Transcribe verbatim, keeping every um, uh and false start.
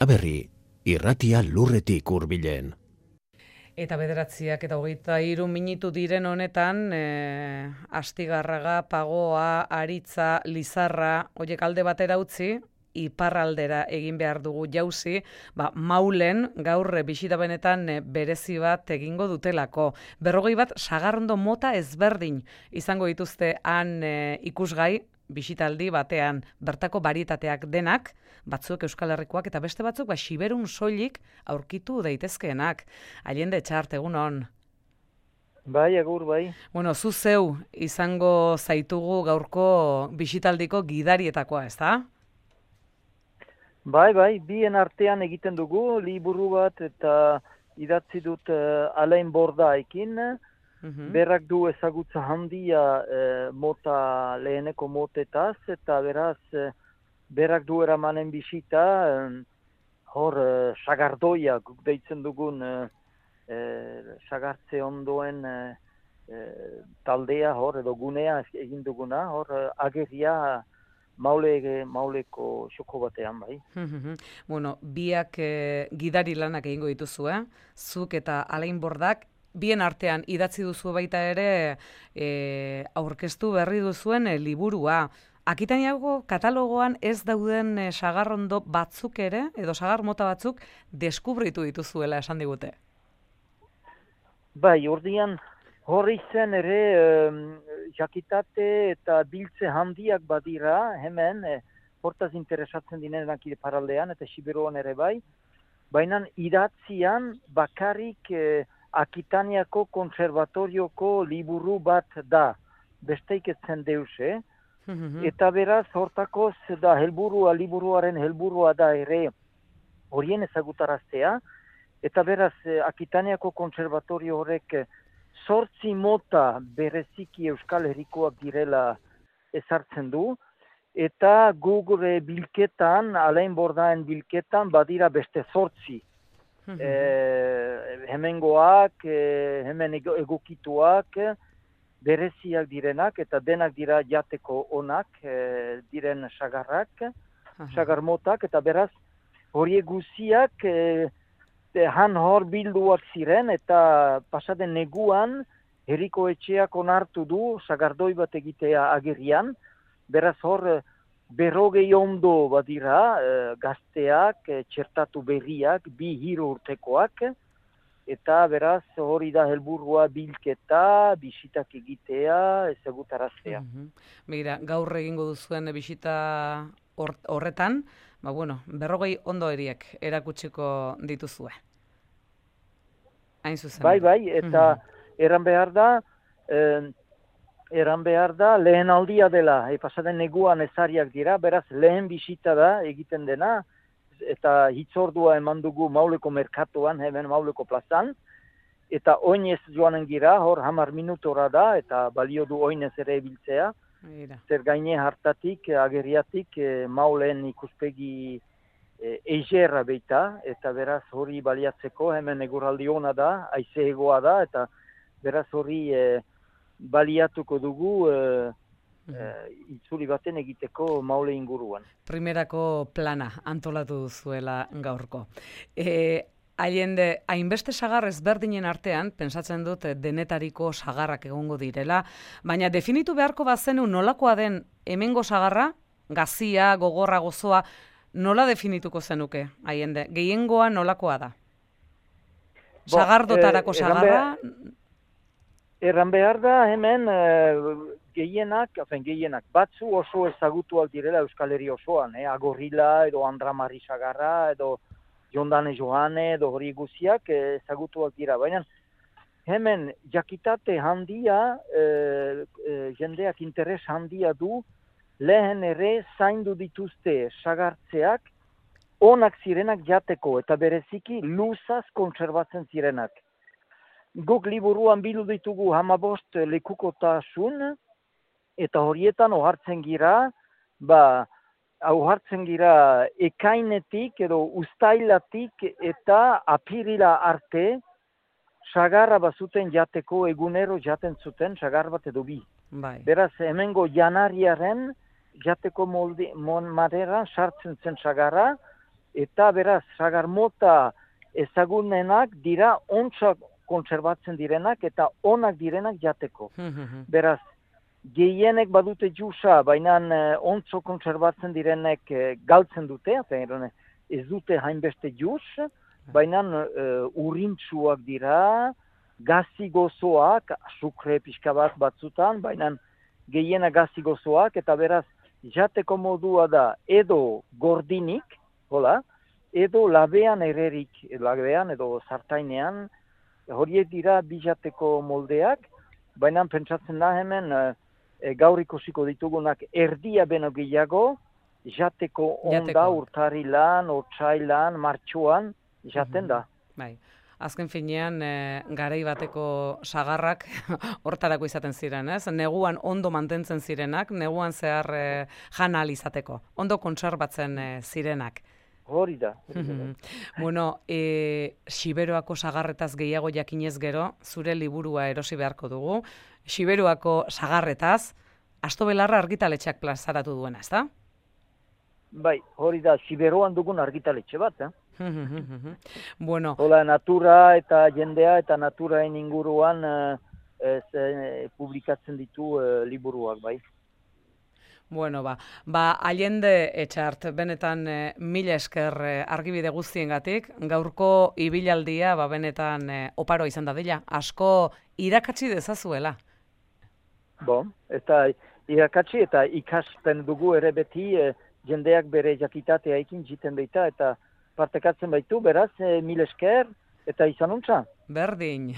Aberri, irratia lurretik hurbilen. Eta bederatziak eta hogeita hiru minutu diren honetan, e, Astigarraga, Pagoa, Aritza, Lizarra, horiek alde batera utzi, iparraldera egin behar dugu jauzi, ba, Maulen gaur bisita benetan berezi bat egingo dutelako. Berrogei bat sagarrondo mota ezberdin izango dituzte han e, ikusgai, bisitaldi batean bertako barietateak denak, batzuk Euskal Herrikoak eta beste batzuk ba, Siberun soilik aurkitu daitezkeenak. Allende Etxart, egun on. Bai, agur, bai. Bueno, zu zeu izango zaitugu gaurko bisitaldiko gidarietakoa, ez da? Bai, bai, bien artean egiten dugu, liburu bat eta idatzi dut uh, Alain Bordaekin. Uhum. Berak du ezagutza handia uh, mota leheneko motetaz, eta beraz uh, berak du eramanen bisita, um, hor uh, sagardoia guk deitzen dugun uh, uh, sagartze ondoen uh, uh, taldea hor edo gunea egin duguna, hor uh, ageria Maule, mauleko xoko batean, bai. Bueno, biak eh, gidari lanak egingo dituzu, eh? Zuk eta Alain Bordak, bien artean idatzi duzu baita ere eh, aurkeztu berri duzuen eh, liburua. Akitaniako katalogoan ez dauden eh, sagarrondo batzuk ere, edo sagar mota batzuk, deskubritu dituzuela esan digute. Bai, ordian, horri zen ere, um, jakitate eta biltze handiak badira, hemen, eh, hortaz interesatzen dinenak iparraldean eta Siberuan ere bai, baina idatzian bakarrik eh, Akitaniako konservatorioko liburu bat da, besteik etzen deus, eh? Mm-hmm. Eta beraz, hortakoz da helburua, liburuaren helburua da ere horien ezagutaraztea, eta beraz, eh, Akitaniako konservatorio horrek zortzi mota bereziki Euskal Herrikoak direla ezartzen du, eta gure bilketan, Alain Bordaen bilketan, badira beste zortzi. Mm-hmm. e, hemengoak, e, hemen egokituak, bereziak direnak, eta denak dira jateko onak, e, diren sagarrak, uh-huh. sagar motak, eta beraz, horiek guziak, e, han hor bilduak ziren, eta pasaden neguan, herriko etxeak onartu du, sagardoi bat egitea agerian, beraz hor, berrogei ondo badira, e, gazteak, e, txertatu berriak, bi hiru urtekoak, eta beraz hori da helburua bilketa, bisitak egitea, ezagutaraztea. Mm-hmm. Begira, gaur egingo duzuen bisita horretan, ba bueno, berrogei ondo eriek erakutsiko dituzue. Hain zuzen. Bai, bai, eta mm-hmm. eran behar da, eh, eran behar da, lehen aldia dela, e, pasaden neguan ezariak dira, beraz lehen bisita da egiten dena, eta hitzordua eman dugu Mauleko merkatuan, hemen Mauleko plazan, eta oinez joanen gira, hor hamar minutora da, eta balio du oinez ere biltzea, zer gaine hartatik, ageriatik, e, Maulen ikuspegi e, eigerra beita, eta beraz hori baliatzeko, hemen eguraldi ona da, haize egoa da, eta beraz hori e, baliatuko dugu, e, Uh, itzuli baten egiteko Maule inguruan. Primerako plana antolatu duzuela gaurko. E, Allende, hainbeste sagar ezberdinen artean, pentsatzen dut denetariko sagarrak egongo direla, baina definitu beharko bazenu nolakoa den hemengo sagarra, gazia, gogorra, gozoa, nola definituko zenuke, Allende? Gehiengoa nolakoa da? Bo, sagardotarako eh, sagarra? Erran behar da hemen eh, gehienak, afen gehienak, batzu oso ezagutuak direla Euskal Herri osoan, eh? Agorrila edo Andramari sagarra edo Jondane Johane edo hori guziak eh, ezagutuak dira. Baina hemen jakitate handia, eh, eh, jendeak interes handia du, lehen ere zaindu dituzte sagartzeak, onak zirenak jateko eta bereziki luzaz kontserbatzen zirenak. Guk liburuan bildu ditugu hamabost lekukotasun, eta horietan ohartzen gira, ba, ohartzen gira ekainetik edo uztailatik eta apirila arte, sagarra bazuten jateko egunero jaten zuten, sagar bat edo bi. Bai. Beraz, hemengo janariaren jateko molde, mon maderan sartzen zen sagarra, eta beraz, sagar mota ezagunenak dira ontsak kontserbatzen direnak eta onak direnak jateko. Beraz, gehienek badute jusa, baina eh, ontso kontserbatzen direnek eh, galtzen dute, eta ez dute hainbeste jus, baina eh, urrintsuak dira, gazi gozoak, sukre pixka bat batzutan, baina gehiena gazi gozoak, eta beraz, jateko modua da edo gordinik, hola, edo labean ererik, labean edo sartainean, horiek dira bijateko moldeak, baina pentsatzen da hemen e, gaur ikusiko ditugunak erdia beno gehiago, jateko onda urtarilan, otsailan, martxoan, jaten da. Bai. Azken finean, e, garai bateko sagarrak hortarako izaten ziren, ez? Neguan ondo mantentzen zirenak, neguan zehar e, jan ahal izateko, ondo kontserbatzen e, zirenak. Hori da. Bueno, e, Siberuako sagarretaz gehiago jakinez gero, zure liburua erosi beharko dugu. Siberuako sagarretaz, Asto Belarra argitaletxeak plazaratu duena, ezta? Bai, hori da, Siberuan dugun argitaletxe bat, eh? Bueno. Hola, natura eta jendea eta naturaen inguruan eh, ez, eh, publikatzen ditu eh, liburuak, bai. Bueno, ba, ba Allende Etxart, benetan e, mila esker e, argibide guztiengatik, gaurko ibilaldia ba benetan e, oparo izan da dela, asko irakatsi dezazuela. Bo, eta irakatsi eta ikaspen dugu ere beti e, jendeak bere jakitatea ekin jiten deita eta partekatzen baitu, beraz, e, mila esker eta izan untza. Berdin.